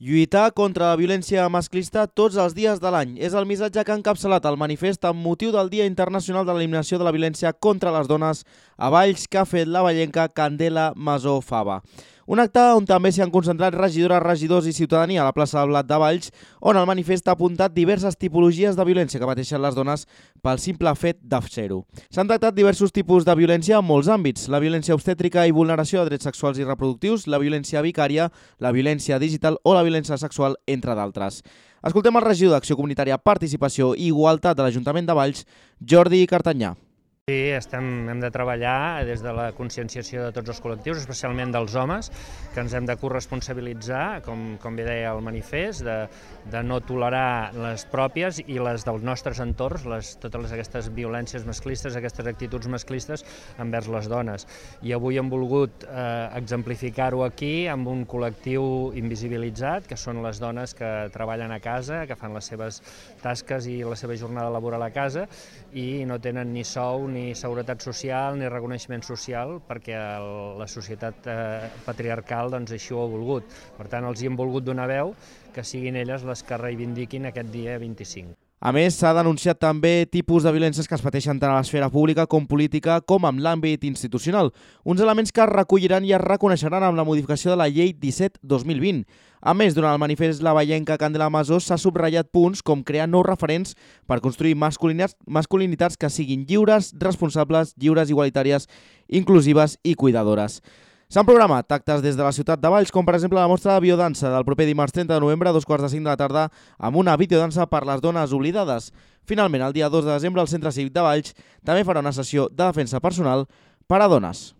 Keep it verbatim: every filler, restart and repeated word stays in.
Lluitar contra la violència masclista tots els dies de l'any és el missatge que ha encapçalat el manifest amb motiu del Dia Internacional de l'Eliminació de la Violència contra les Dones a Valls que ha fet la vallenca Candela Masó Fava. Un acte on també s'hi han concentrat regidores, regidors i ciutadania a la plaça del Blat de Valls, on el manifest ha apuntat diverses tipologies de violència que pateixen les dones pel simple fet de ser-ho. S'han tractat diversos tipus de violència en molts àmbits: la violència obstètrica i vulneració de drets sexuals i reproductius, la violència vicària, la violència digital o la violència sexual, entre d'altres. Escoltem el regidor d'Acció Comunitària, Participació i Igualtat de l'Ajuntament de Valls, Jordi Cartanyà. Sí, estem, hem de treballar des de la conscienciació de tots els col·lectius, especialment dels homes, que ens hem de corresponsabilitzar, com, com bé deia el manifest, de, de no tolerar les pròpies i les dels nostres entorns, les, totes aquestes violències masclistes, aquestes actituds masclistes envers les dones. I avui hem volgut eh, exemplificar-ho aquí amb un col·lectiu invisibilitzat, que són les dones que treballen a casa, que fan les seves tasques i la seva jornada laboral a casa i no tenen ni sou ni ni seguretat social ni reconeixement social perquè el, la societat eh, patriarcal doncs, així ho ha volgut. Per tant, els hi hem volgut donar veu que siguin elles les que reivindiquin aquest dia vint-i-cinc. A més, s'ha denunciat també tipus de violències que es pateixen tant a l'esfera pública com política com en l'àmbit institucional, uns elements que es recolliran i es reconeixeran amb la modificació de la Llei disset dos mil vint. A més, durant el manifest La Vallenca Candela Masó s'ha subratllat punts com crear nous referents per construir masculinitats, masculinitats que siguin lliures, responsables, lliures, igualitàries, inclusives i cuidadores. S'han programat actes des de la ciutat de Valls, com per exemple la mostra de biodansa del proper dimarts trenta de novembre a dos quarts de cinc de la tarda amb una videodansa per les dones oblidades. Finalment, el dia dos de desembre, el Centre Cívic de Valls també farà una sessió de defensa personal per a dones.